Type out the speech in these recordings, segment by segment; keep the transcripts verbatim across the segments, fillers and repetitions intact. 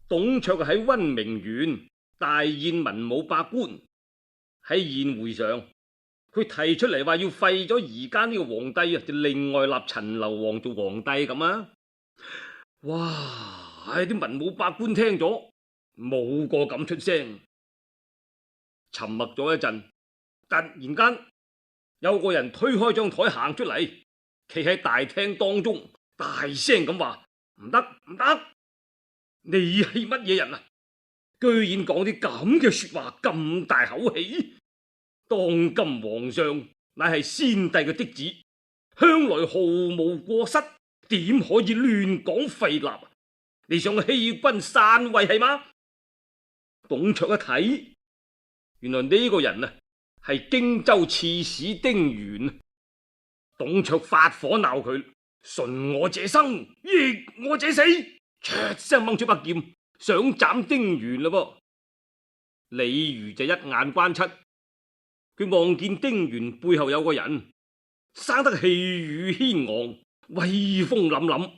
董卓喺溫明縣大宴文武百官，喺宴會上，佢提出嚟話要廢咗而家呢個皇帝啊，就另外立陳留王做皇帝咁啊！哇！唉，啲文武百官聽咗，冇個敢出聲，沉默咗一陣，突然間有個人推開張台行出嚟，企喺大廳當中，大聲咁話：唔得唔得！你係乜嘢人啊？居然講啲咁嘅說話，咁大口氣！當今皇上乃係先帝嘅嫡子，向來毫無過失，點可以亂講廢立？你想欺君篡位係嗎？董卓一睇，原來呢個人啊係荊州刺史丁原。董卓發火鬧佢：順我者生，逆我者死！出聲掹出把劍，想斬丁原嘞噃。李儒就一眼關七，佢望見丁原背後有個人，生得氣宇軒昂，威風凜凜，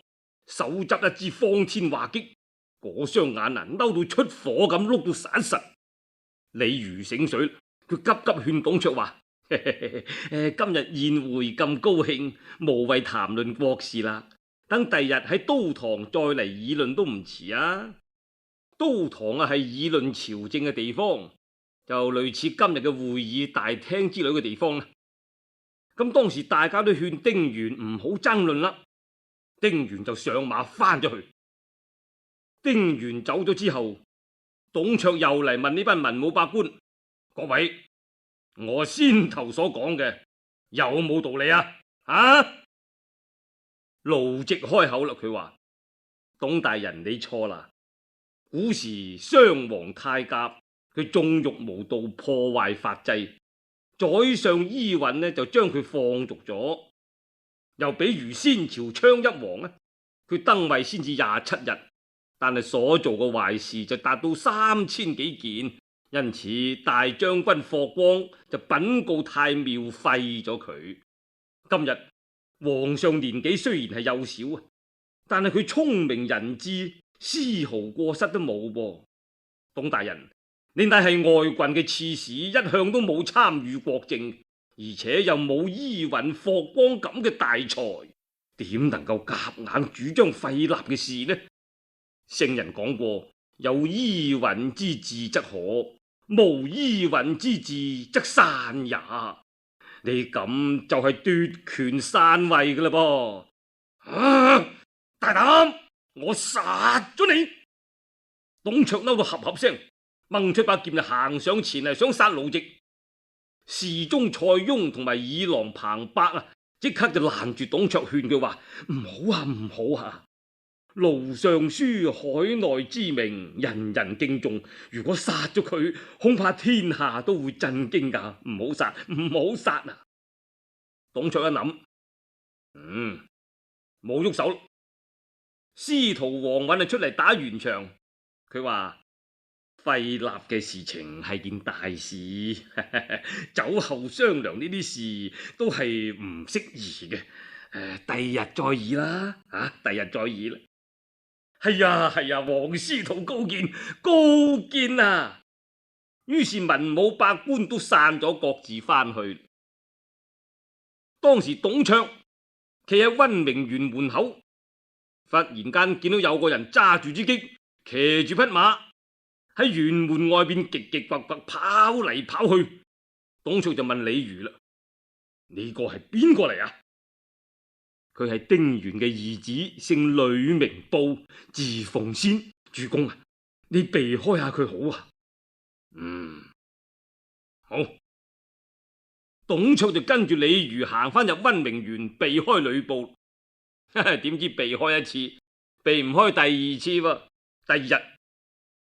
手執一支方天畫戟，嗰雙眼啊嬲到出火咁，碌到散實。李儒醒水，佢急急勸董卓話：今日宴會咁高興，無謂談論國事啦。等第日喺都堂再嚟議論都唔遲啊！都堂啊係議論朝政嘅地方，就類似今日嘅會議大廳之類嘅地方啦。咁當時大家都勸丁原唔好爭論啦，丁原就上馬翻咗去。丁原走咗之後，董卓又嚟問呢班文武百官：各位，我先頭所講嘅有冇道理啊？啊！盧植開口啦，佢話：董大人你錯啦！古時雙皇太甲佢縱欲無道，破壞法制，宰相伊尹呢就將佢放逐咗。又比如先朝昌邑王呢，佢登位先至廿七日，但係所做嘅壞事就達到三千幾件，因此大將軍霍光就稟告太廟廢咗佢。今日皇上年紀雖然係幼小啊，但係佢聰明仁智，絲毫過失都冇噃。董大人，你乃係外郡嘅刺史，一向都冇參與國政，而且又冇伊尹、霍光咁嘅大才，點能夠夾硬主張廢立嘅事呢？聖人講過，有伊尹之治則可，無伊尹之治則散也。你咁就係奪權篡位㗎喇噃！啊，大膽，我殺咗你！董卓嬲到合合聲，掹出把劍就行上前嚟，想殺盧植。侍中蔡邕同埋議郎彭伯啊，即刻就攔住董卓，勸佢話：唔好啊，唔好啊！盧尚書海內知名，人人敬重。如果殺咗佢，恐怕天下都會震驚噶。唔好殺，唔好殺啊！董卓一諗，嗯，冇喐手。司徒王允就出嚟打圓場，佢話廢立嘅事情係件大事，酒後商量呢啲事都係唔適宜嘅。誒、呃，第日再議啦，啊，第日再議啦。係啊係啊，黃司徒高見高見啊！於是文武百官都散咗，各自翻去。當時董卓企喺溫明縣門口，忽然間見到有個人揸住支戟，騎住匹馬喺縣門外邊極極跋跋跑嚟跑去。董卓就問李儒啦：呢個係邊個嚟啊？佢係丁原嘅兒子，姓呂，名布，字奉先。主公啊，你避開下佢好啊。嗯，好。董卓就跟住李儒行翻入溫明縣，避開呂布。點知避開一次，避唔開第二次喎。第二日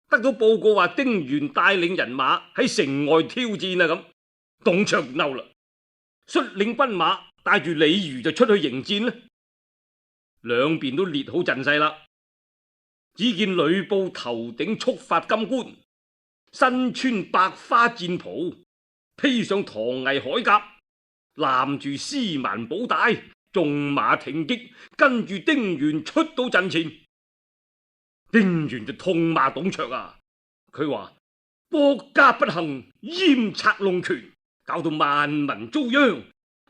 得到報告話丁原帶領人馬喺城外挑戰啊，咁董卓嬲啦，率領軍馬帶住李儒就出去迎戰啦。兩邊都列好陣勢啦。只見呂布頭頂束髮金冠，身穿百花戰袍，披上唐魏鎧甲，攬住絲蠻寶帶，縱馬挺戟，跟住丁原出到陣前。丁原就痛罵董卓啊，佢話國家不幸，閹賊弄權，搞到萬民遭殃，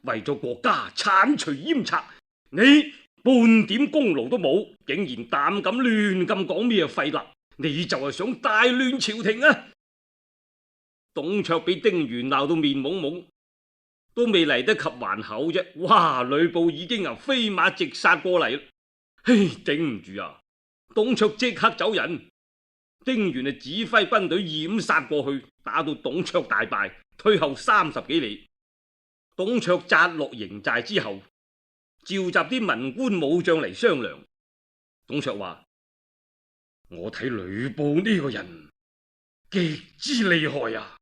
為咗國家鏟除閹賊，你半點功勞都冇，竟然膽敢亂咁講咩廢立，你就係想大亂朝廷啊！董卓俾丁原鬧到面懵懵，都未嚟得及還口啫，哇！呂布已經由飛馬直殺過嚟，嘿，頂唔住啊！董卓即刻走人，丁原啊指揮軍隊掩殺過去，打到董卓大敗，退後三十幾里。董卓紮落營寨之後，召集啲文官武將嚟商量。董卓話：我睇呂布呢個人極之厲害啊！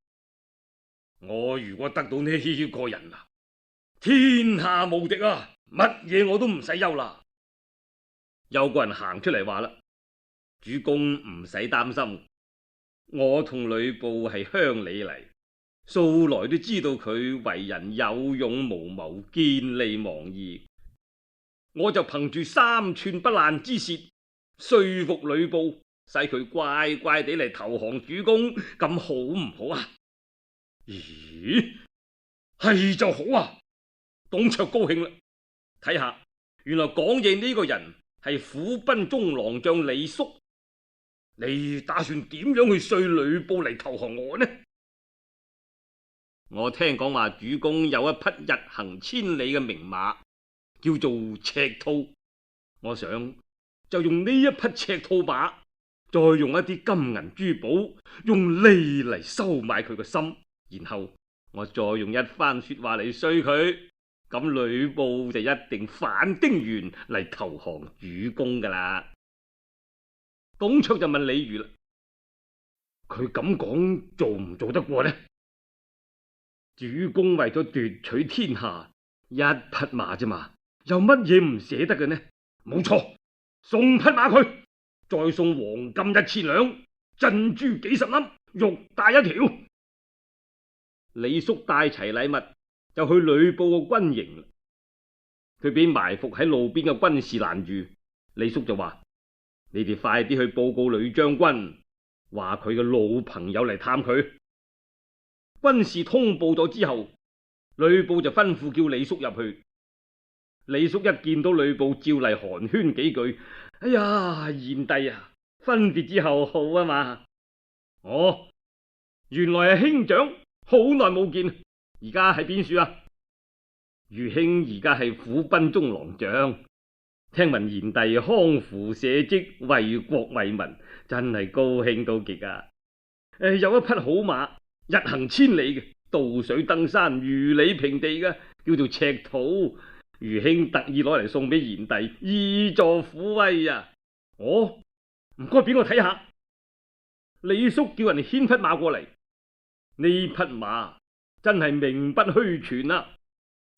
我如果得到呢個人啊，天下無敵啊，乜嘢我都唔使憂啦。有個人行出嚟話啦：主公唔使擔心，我同呂布係鄉里嚟，素來都知道佢為人有勇無謀，見利忘義。我就憑住三寸不爛之舌說服呂布，使佢乖乖地嚟投降主公，咁好唔好啊？咦，係就好啊！董卓高興啦，睇下原來講嘢呢個人係虎贲中郎將李肅，你打算點樣去說呂布嚟投降我呢？我聽講話主公有一匹日行千里嘅名馬，叫做赤兔，我想就用呢一匹赤兔馬，再用一啲金銀珠寶，用利嚟收買佢個心，然後我再用一番說話嚟說佢，咁呂布就一定反丁原嚟投降主公噶啦。董卓就問李儒啦：佢咁講做唔做得過呢？主公為咗奪取天下，一匹馬啫嘛，有乜嘢唔捨得嘅呢？冇錯，送匹馬佢，再送黃金一千兩，珍珠幾十粒，玉帶一條。李肅帶齊禮物就去呂布個軍營，佢俾埋伏喺路邊嘅軍士攔住。李肅就話：你哋快啲去報告呂將軍，話佢嘅老朋友嚟探佢。軍士通報咗之後，呂布就吩咐叫李肅入去。李肅一見到呂布，照例寒暄幾句：哎呀，賢弟啊，分別之後好啊嘛。哦，原來係兄長，好耐冇見，而家喺邊處啊？余兄而家係虎贲中郎將，聽聞賢弟匡扶社稷，為國為民，真係高興到極啊！誒，有一匹好馬，日行千里嘅，渡水登山，如履平地嘅，叫做赤兔。余兄特意攞嚟送俾賢弟，以助虎威啊！哦，唔該俾我睇下。李肅叫人牽匹馬過嚟，呢匹馬真係名不虛傳啊！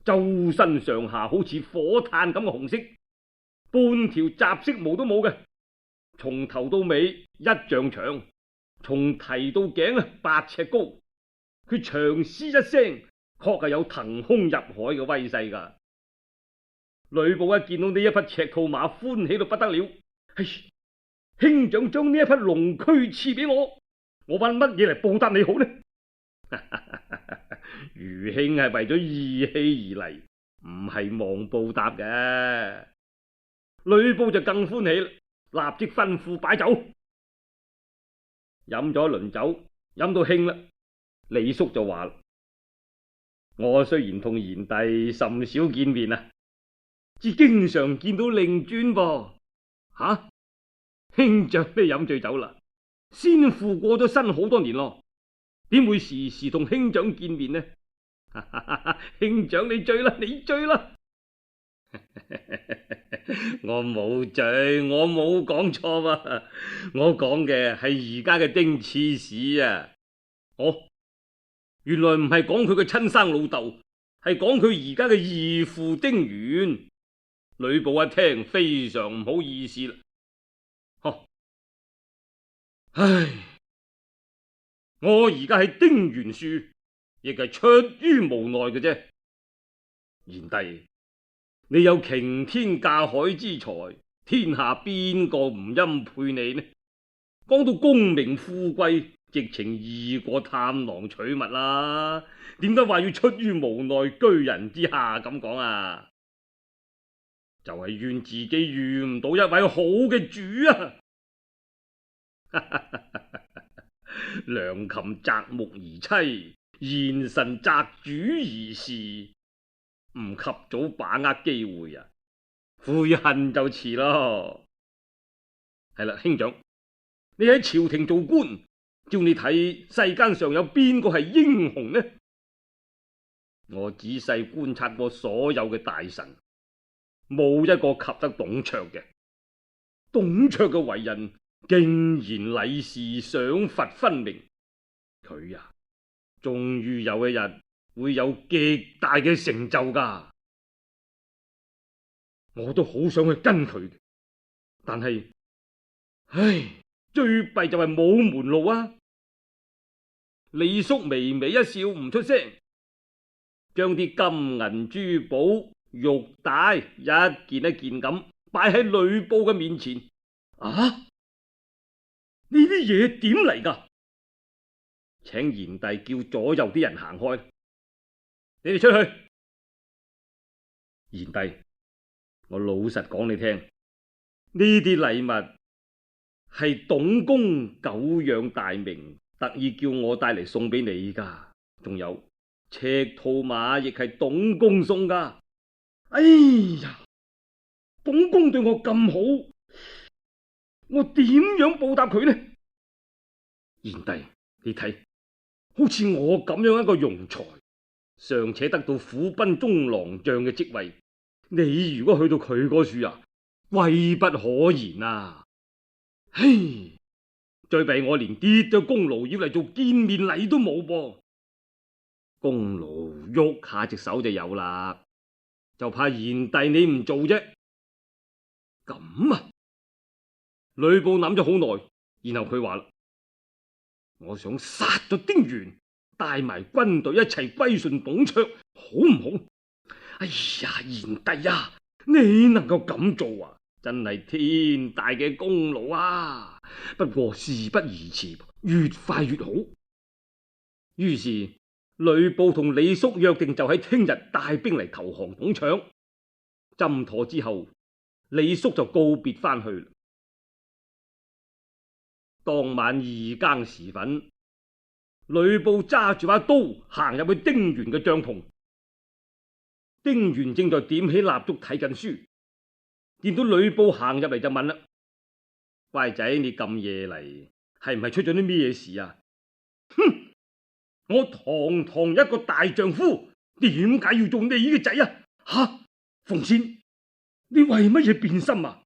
周身上下好似火炭咁嘅紅色，半條雜色毛都冇嘅，從頭到尾一丈長，從蹄到頸啊八尺高，佢長嘶一聲，確係有騰空入海嘅威勢噶。呂布一見到呢一匹赤兔馬，歡喜到不得了。唉，兄長將呢一匹龍駒賜俾我，我揾乜嘢嚟報答你好呢？余兄係為咗義氣而嚟，唔係望報答嘅。呂布就更歡喜，立即吩咐擺酒。飲咗一輪酒，飲到興啦。李肅就話：我雖然同賢弟甚少見面啊，只經常見到令尊噃。吓、啊，兄長你飲醉酒啦？先父過咗身好多年咯，點會時時同兄長見面呢？兄長你醉啦，你醉啦！我冇醉，我冇講錯啊！我講嘅係而家嘅丁刺史啊！哦，原來唔係講佢嘅親生老豆，係講佢而家嘅義父丁原。呂布一聽非常唔好意思啦，呵，唉，我而家係丁原樹，亦係出於無奈嘅啫。賢弟，你有擎天架海之才，天下邊個唔欽佩你呢？講到功名富貴，直情易過探囊取物啦。點解話要出於無奈居人之下咁講啊？就係怨自己遇唔到一位好嘅主啊！良禽擇木而棲，賢臣擇主而事。唔及早把握機會啊，悔恨就遲咯。係啦，兄長，你喺朝廷做官，照你睇世間上有邊個係英雄呢？我仔細觀察過所有嘅大臣，冇一個及得董卓嘅。董卓嘅為人竟然禮事賞罰分明，佢呀，終於有一日會有極大嘅成就噶。我都好想去跟佢，但係，唉，最弊就係冇門路啊！李肅微微一笑，唔出聲，將啲金銀珠寶玉帶一件一件咁擺喺呂布嘅面前。啊！呢啲嘢點嚟噶？請賢弟叫左右啲人行開，你哋出去。賢弟，我老實講你聽，呢啲禮物係董公久仰大名，特意叫我帶嚟送俾你噶。仲有赤兔馬亦係董公送噶。哎呀，董公對我咁好，我點樣報答佢呢？賢弟，你睇，好似我咁樣一個庸才，尚且得到府賓中郎將嘅職位，你如果去到佢嗰處啊，威不可言啊！嘿，最弊我連跌咗功勞要嚟做見面禮都冇噃。功勞喐下隻手就有啦，就怕賢弟你唔做啫。咁啊！呂布諗咗好耐，然後佢話啦：我想殺咗丁原，帶埋軍隊一齊歸順董卓，好唔好？哎呀，賢弟啊，你能夠咁做啊，真係天大嘅功勞啊！不過事不宜遲，越快越好。於是呂布同李肅約定，就喺聽日帶兵嚟投降董卓。斟妥之後，李肅就告別翻去。當晚二更時分，呂布揸住把刀行入去丁原嘅帳篷。丁原正在點起蠟燭睇緊書，見到呂布行入嚟就問啦：乖仔，你咁夜嚟，係唔係出咗啲咩事啊？哼！我堂堂一個大丈夫，點解要做你嘅仔啊？吓！鳳仙，你為乜嘢變心啊？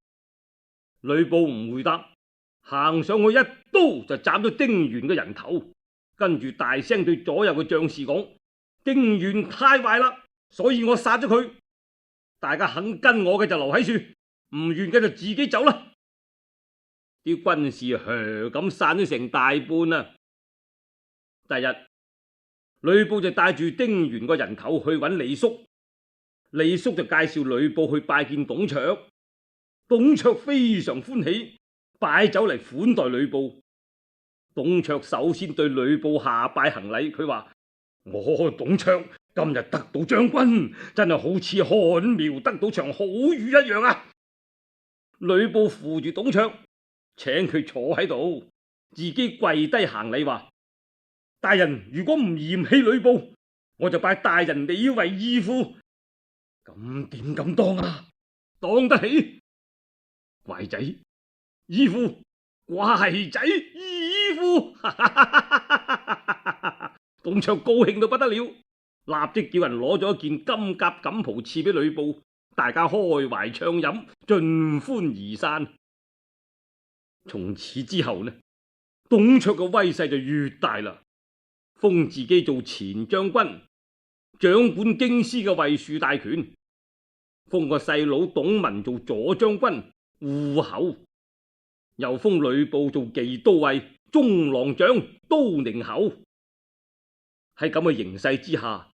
呂布唔回答，行上去一刀就斬咗丁原嘅人頭，跟住大聲對左右嘅將士講：丁原太壞啦，所以我殺咗佢。大家肯跟我嘅就留喺處，唔願嘅就自己走啦。啲軍士噓咁散咗成大半啊！第日，呂布就帶住丁原個人頭去揾李肅，李肅就介紹呂布去拜見董卓。董卓非常歡喜，擺酒嚟款待呂布。董卓首先對呂布下拜行禮，佢話：我董卓今日得到將軍，真係好似旱苗得到場好雨一樣啊！呂布扶住董卓，請佢坐喺度，自己跪低行禮，話：大人如果唔嫌棄呂布，我就拜大人你為義父。咁點敢當啊？當得起。乖仔，義父，乖仔，義父。董卓高興到不得了，立即叫人攞咗一件金甲錦袍賜俾呂布，大家開懷暢飲，盡歡而散。從此之後呢，董卓嘅威勢就越大啦，封自己做前將軍，掌管京師嘅衛戍大權，封個細佬董文做左將軍、護侯，又封呂布做騎都尉、中郎將、都寧侯。喺咁嘅形勢之下，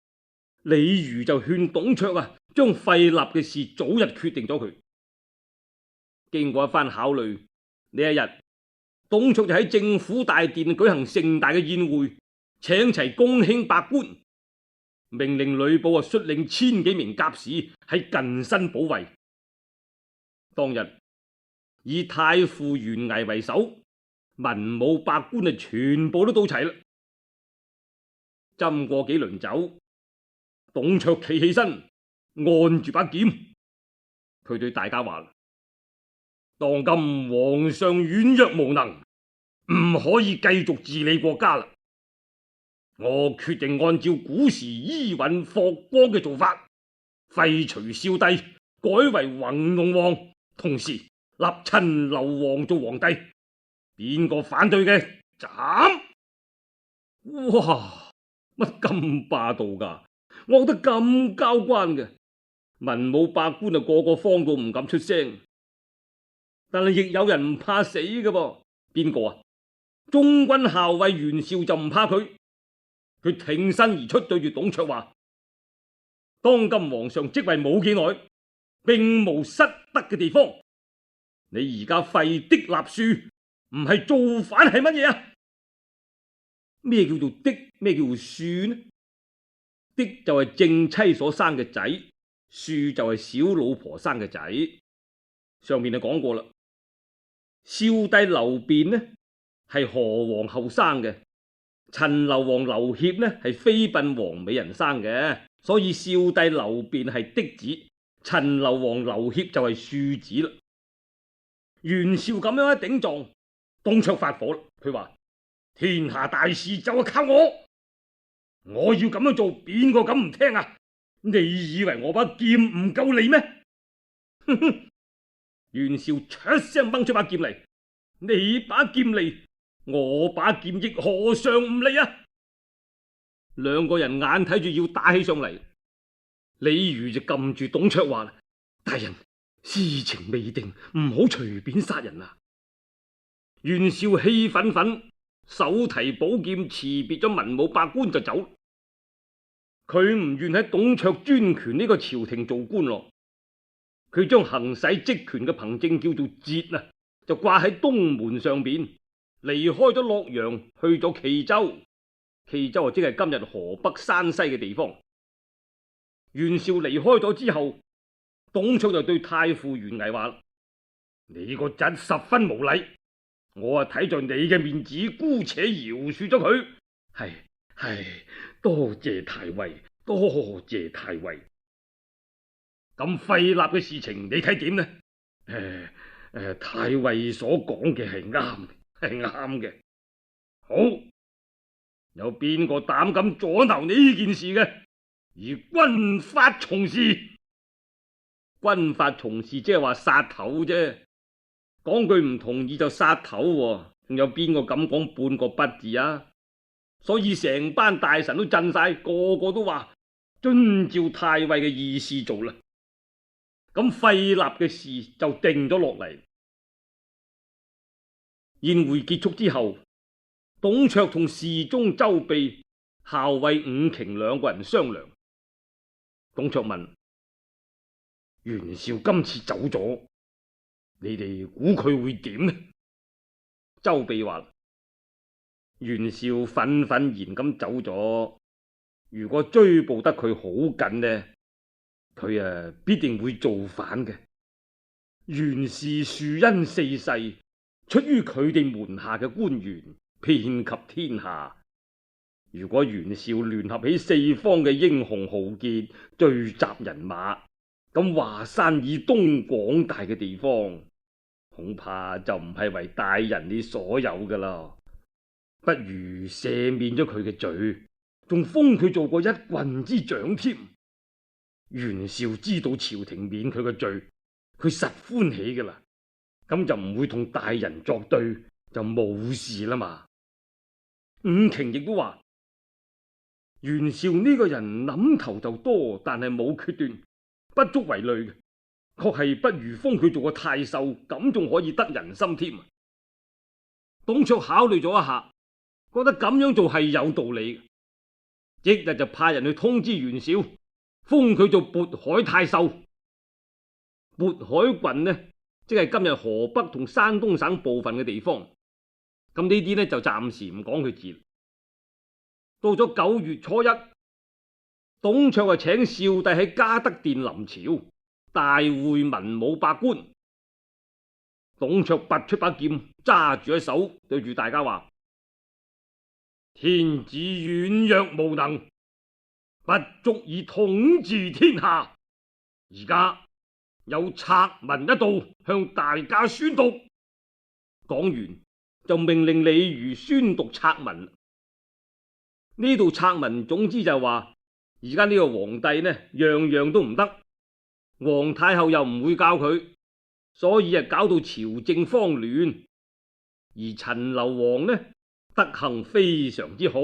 李儒就勸董卓啊，將廢立嘅事早日決定咗佢。經過一番考慮，呢一日董卓就喺政府大殿舉行盛大嘅宴會，請齊公卿百官，命令呂布啊率領千幾名甲士喺近身保衛。當日以太傅袁巍為首，文武百官啊全部都到齊啦。斟過幾輪酒，董卓企起身，按住把劍，佢對大家話：當今皇上軟弱無能，唔可以繼續治理國家啦。我決定按照古時伊尹霍光嘅做法，廢除少帝，改為弘農王，同時立陳留王做皇帝。邊個反對嘅，斬！哇，乜咁霸道噶？我覺得咁交關嘅，文武百官啊個個慌到唔敢出聲。但係亦有人唔怕死嘅噃，邊個啊？中軍校尉袁紹就唔怕佢，佢挺身而出，對住董卓話：當今皇上即位冇幾耐，並無失德嘅地方。你而家廢嫡立庶，唔係造反係乜嘢啊？咩叫做嫡？咩叫做庶呢？嫡就係正妻所生嘅仔，庶就係小老婆生嘅仔。上面就講過啦，少帝劉辯呢係何皇后生嘅，陳留王劉協呢係妃嬪王美人生嘅，所以少帝劉辯係嫡子，陳留王劉協就係庶子啦。袁紹咁樣一頂撞，董卓發火啦，佢話：天下大事就係靠我，我要咁樣做，邊個敢唔聽啊？你以為我把劍唔夠利咩？哼哼！袁紹出聲掹出把劍嚟，你把劍利，我把劍亦何嘗唔利啊？兩個人眼睇住要打起上嚟，李儒就撳住董卓話：大人，事情未定，唔好隨便殺人啊！袁紹氣憤憤，手提寶劍辭別咗文武百官就走。佢唔願喺董卓專權呢個朝廷做官咯。佢將行使職權嘅憑證叫做節啊，就掛喺東門上邊，離開咗洛陽，去咗冀州。冀州啊，即係今日河北山西嘅地方。袁紹離開咗之後，董卓就對太傅袁巍話：你個侄十分無禮，我啊睇在你嘅面子，姑且饒恕咗佢。係係，多謝太尉，多謝太尉。咁廢立嘅事情，你睇點呢？誒誒，太尉所講嘅係啱，係啱嘅。好，有邊個膽敢阻撓呢件事嘅？以軍法從事。軍法從事即係話殺頭啫，講句唔同意就殺頭，仲有邊個敢講半個不字啊？所以成班大臣都震晒，個個都話遵照太尉嘅意思做啦。咁廢立嘅事就定咗落嚟。宴會結束之後，董卓同侍中周秘、校尉伍瓊兩個人商量。董卓問：袁紹今次走咗，你哋估佢會點呢？周秘話：袁紹憤憤然咁走咗，如果追捕得佢好緊呢，佢啊必定會造反嘅。袁氏庶殷四世，出於佢哋門下嘅官員，遍及天下。如果袁紹聯合起四方嘅英雄豪傑，聚集人馬，咁華山以東廣大嘅地方，恐怕就唔係為大人你所有噶啦。不如赦免咗佢嘅罪，仲封佢做過一郡之長添。袁紹知道朝廷免佢嘅罪，佢實歡喜噶啦，咁就唔會同大人作對，就冇事啦嘛。伍瓊亦都話：袁紹呢個人諗頭就多，但係冇決斷，不足為慮嘅，確係不如封佢做個太守，咁仲可以得人心添。董卓考慮咗一下，覺得咁樣做係有道理嘅，即日就派人去通知袁紹，封佢做渤海太守。渤海郡呢即係今日河北同山東省部分嘅地方。咁呢啲呢就暫時唔講佢字。到咗九月初一，董卓啊請少帝喺嘉德殿臨朝，大會文武百官。董卓拔出把劍，揸住喺手，對住大家話：天子軟弱無能，不足以統治天下。而家有策文一道，向大家宣讀。講完就命令李儒宣讀策文。呢度策文總之就係話，而家呢個皇帝呢，樣樣都唔得，皇太后又唔會教佢，所以啊搞到朝政慌亂。而陳留王呢，德行非常之好，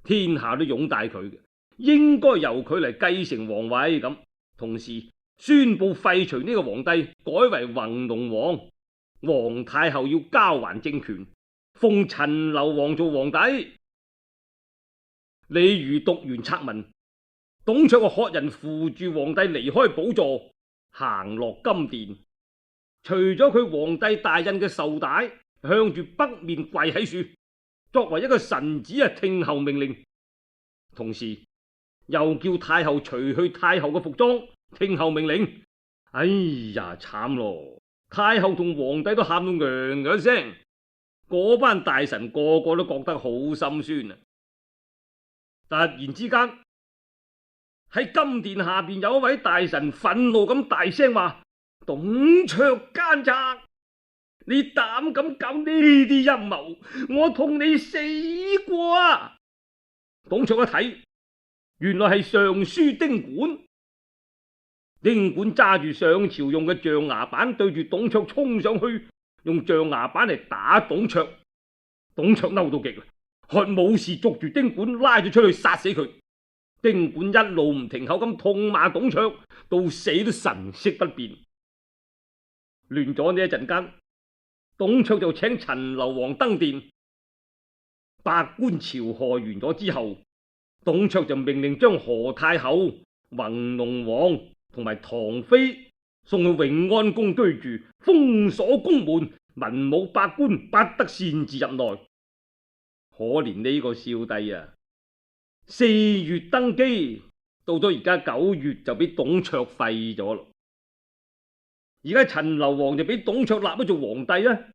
天下都擁戴佢嘅，應該由佢嚟繼承皇位。咁同時宣布廢除呢個皇帝，改為弘農王，皇太后要交還政權，封陳留王做皇帝。李儒讀完策文，董卓啊喝人扶住皇帝離開寶座，行落金殿，除咗佢皇帝大印嘅綬帶，向住北面跪喺樹，作為一個臣子啊聽候命令。同時又叫太后除去太后嘅服裝，聽候命令。哎呀，慘咯！太后同皇帝都喊到嘭嘭聲，嗰班大臣個個都覺得好心酸啊！突然之間喺金殿下邊有一位大臣憤怒咁大聲話：董卓奸賊，你膽敢搞呢啲陰謀，我同你死過啊！董卓一睇，原來係尚書丁管。丁管揸住上朝用嘅象牙板，對住董卓衝上去，用象牙板嚟打董卓。董卓嬲到極啦，喝武士捉住丁管，拉咗出去殺死佢。丁管一路唔停口咁痛罵董卓，到死都神色不變。亂咗呢一陣間，董卓就請陳留王登殿，百官朝賀完咗之後，董卓就命令將何太后、弘農王同埋唐妃送去永安宮居住，封鎖宮門，文武百官不得擅自入內。可憐呢個少帝啊，四月登基，到咗而家九月就俾董卓廢咗咯。而家陳留王就俾董卓立咗做皇帝啊，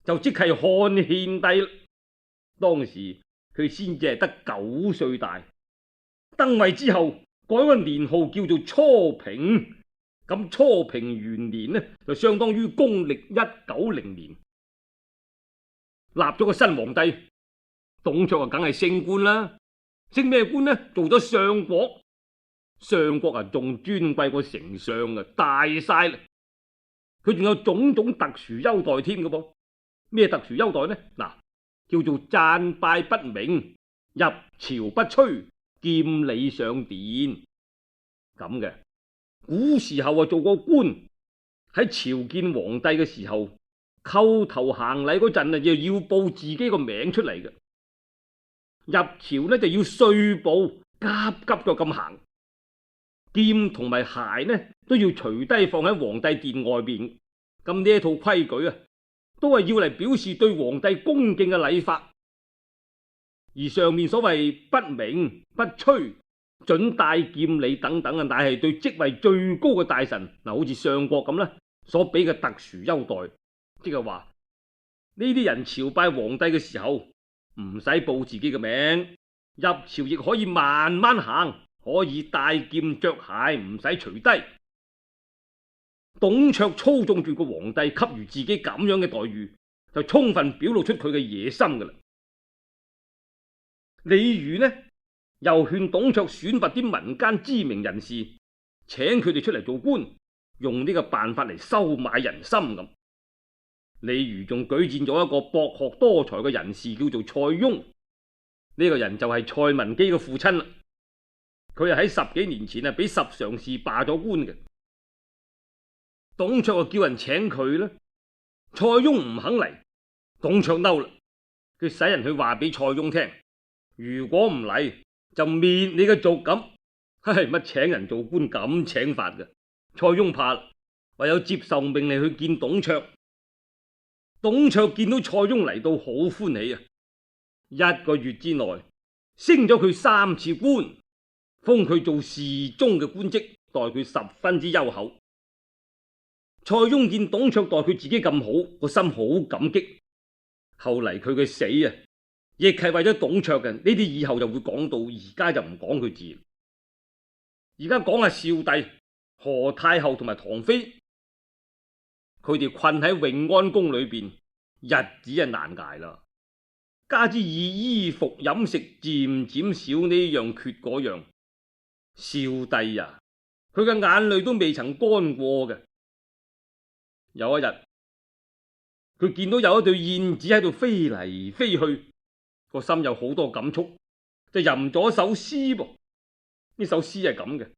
就即係漢獻帝。當時佢先至係得九歲大，登位之後改個年號叫做初平。咁初平元年呢，就相當於公曆一九零年，立咗個新皇帝。董卓啊，梗係升官啦，升咩官呢？做咗相國。相國啊，仲尊貴過丞相啊，大晒啦！佢仲有種種特殊優待添嘅噃。咩特殊優待呢？嗱，叫做讚拜不鳴，入朝不趨，見禮上殿咁嘅。古時候啊，做個官喺朝見皇帝嘅時候，叩頭行禮嗰陣啊，又要報自己個名出嚟嘅。入朝呢就要碎步，急急腳咁行，劍同埋鞋呢都要除低放喺皇帝殿外邊。咁呢一套規矩啊，都係要嚟表示對皇帝恭敬嘅禮法。而上面所謂不鳴不趨、准帶劍禮等等啊，乃係對職位最高嘅大臣嗱，好似相國咁啦，所俾嘅特殊優待。即係話呢啲人朝拜皇帝嘅時候，唔使報自己嘅名，入朝亦可以慢慢行，可以帶劍着鞋，唔使除低。董卓操縱住個皇帝，給予自己咁樣嘅待遇，就充分表露出佢嘅野心噶啦。李儒呢又勸董卓選拔啲民間知名人士，請佢哋出嚟做官，用呢個辦法嚟收買人心咁。李儒仲舉薦咗一個博學多才嘅人士，叫做蔡邕。呢個人就係蔡文姬嘅父親啦。佢係喺十幾年前啊，俾十常侍罷咗官嘅。董卓就叫人請佢啦，蔡邕唔肯嚟。董卓嬲啦，佢使人去話俾蔡邕聽，如果唔嚟就滅你嘅族咁。唉，乜請人做官咁請法嘅？蔡邕怕啦，唯有接受命令去見董卓。董卓見到塞翁嚟到，好歡喜啊！一個月之內升咗佢三次官，封佢做侍中嘅官職，待佢十分之優厚。塞翁見董卓待佢自己咁好，個心好感激。後嚟佢嘅死啊，亦係為咗董卓嘅。呢啲以後就會講到，而家就唔講佢字。而家講下少帝、何太后同埋唐妃，佢哋困喺永安宮裏邊，日子係難捱啦。加之以衣服飲食漸漸少呢樣缺嗰樣，少帝啊，佢嘅眼淚都未曾乾過嘅。有一日，佢見到有一對燕子喺度飛嚟飛去，個心有好多感觸，就吟咗首詩噃。呢首詩係咁嘅：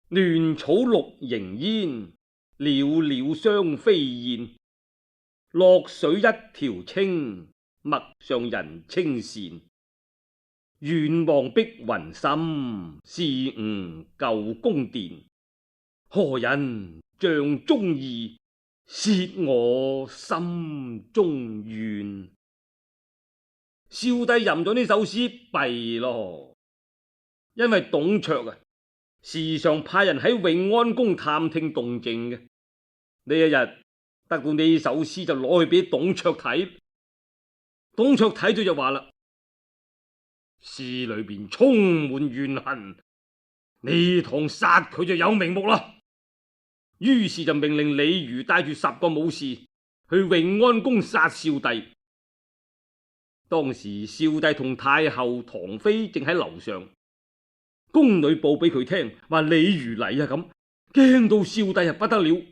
亂草綠營煙，裊裊雙飛燕。洛水一條清，陌上人稱羨。遠望碧雲深，是吾舊宮殿。何人帳中意，竊我心中怨。少帝吟咗呢首詩弊咯，因為董卓啊，時常派人喺永安宮探聽動靜嘅。呢一日得到呢首詩，就攞去俾董卓睇。董卓睇咗就話啦：詩裏邊充滿怨恨，呢趟殺佢就有名目啦。於是就命令李儒帶住十個武士去永安宮殺少帝。當時少帝同太后唐妃正喺樓上，宮女報俾佢聽，話李儒嚟啊，咁驚到少帝啊不得了。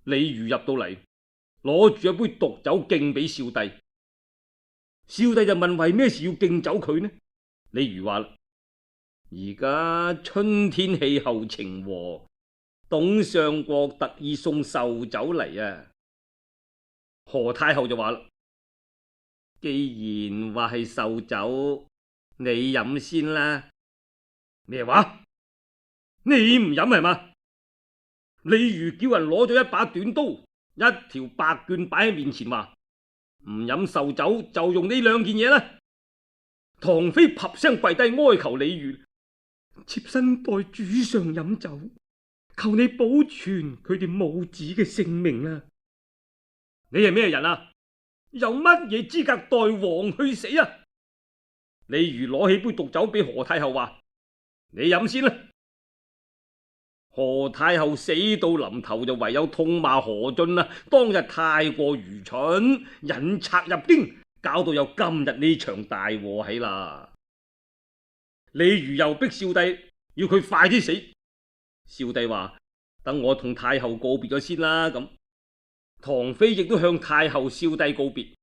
李儒入到嚟，攞住一杯毒酒敬俾少帝。少帝就問為咩事要敬酒佢呢？李儒話啦：而家春天氣候晴和，董相國特意送壽酒嚟啊。何太后就話啦：既然話係壽酒，你飲先啦。咩話？你唔飲係嘛？李儒叫人攞咗一把短刀，一條白絹擺喺面前，話唔飲壽酒就用呢兩件嘢啦。唐妃啪聲跪低哀求李儒：妾身代主上飲酒，求你保存佢哋母子嘅性命啊！你係咩人啊？有乜嘢資格代王去死啊？李儒攞起杯毒酒俾何太后，話你飲先啦。何太后死到臨頭，就唯有痛罵何進啦，當日太過愚蠢，引賊入京，搞到有今日呢場大禍起啦。李儒又逼少帝要佢快啲死。少帝話：等我同太后告別咗先啦。咁唐妃亦都向太后、少帝告別，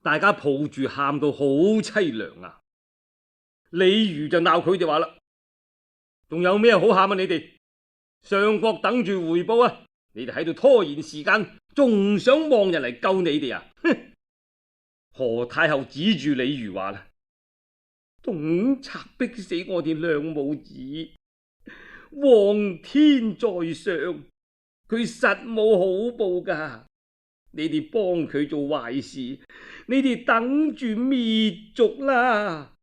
大家抱住喊到好淒涼啊。李儒就鬧佢哋話啦：仲有咩好喊啊？你哋上國等住回報啊！你哋喺度拖延時間，仲想望人嚟救你哋啊？哼！何太后指住李儒話啦：董賊逼死我哋兩母子，皇天在上，佢實冇好報噶。你哋幫佢做壞事，你哋等住滅族啦！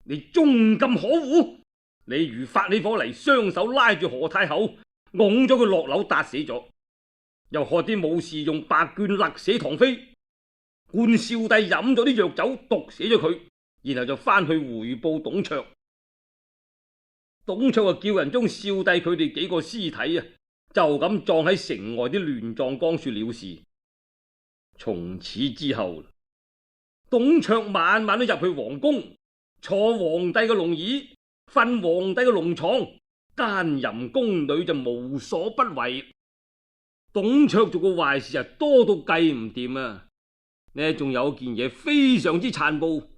你終咁可惡！李儒發起火嚟，雙手拉住何太后，拱咗佢落樓，打死咗。又喝啲武士用白絹勒死唐妃，灌少帝飲咗啲藥酒，毒死咗佢，然後就翻去回報董卓。董卓就叫人將少帝佢哋幾個屍體啊，就咁葬喺城外啲亂葬崗處了事。從此之後，董卓晚晚都入去皇宮，坐皇帝嘅龍椅，瞓皇帝嘅龍床，奸淫宮女就無所不為。董卓做個壞事啊，多到計唔掂啊！呢仲有件嘢非常之殘暴，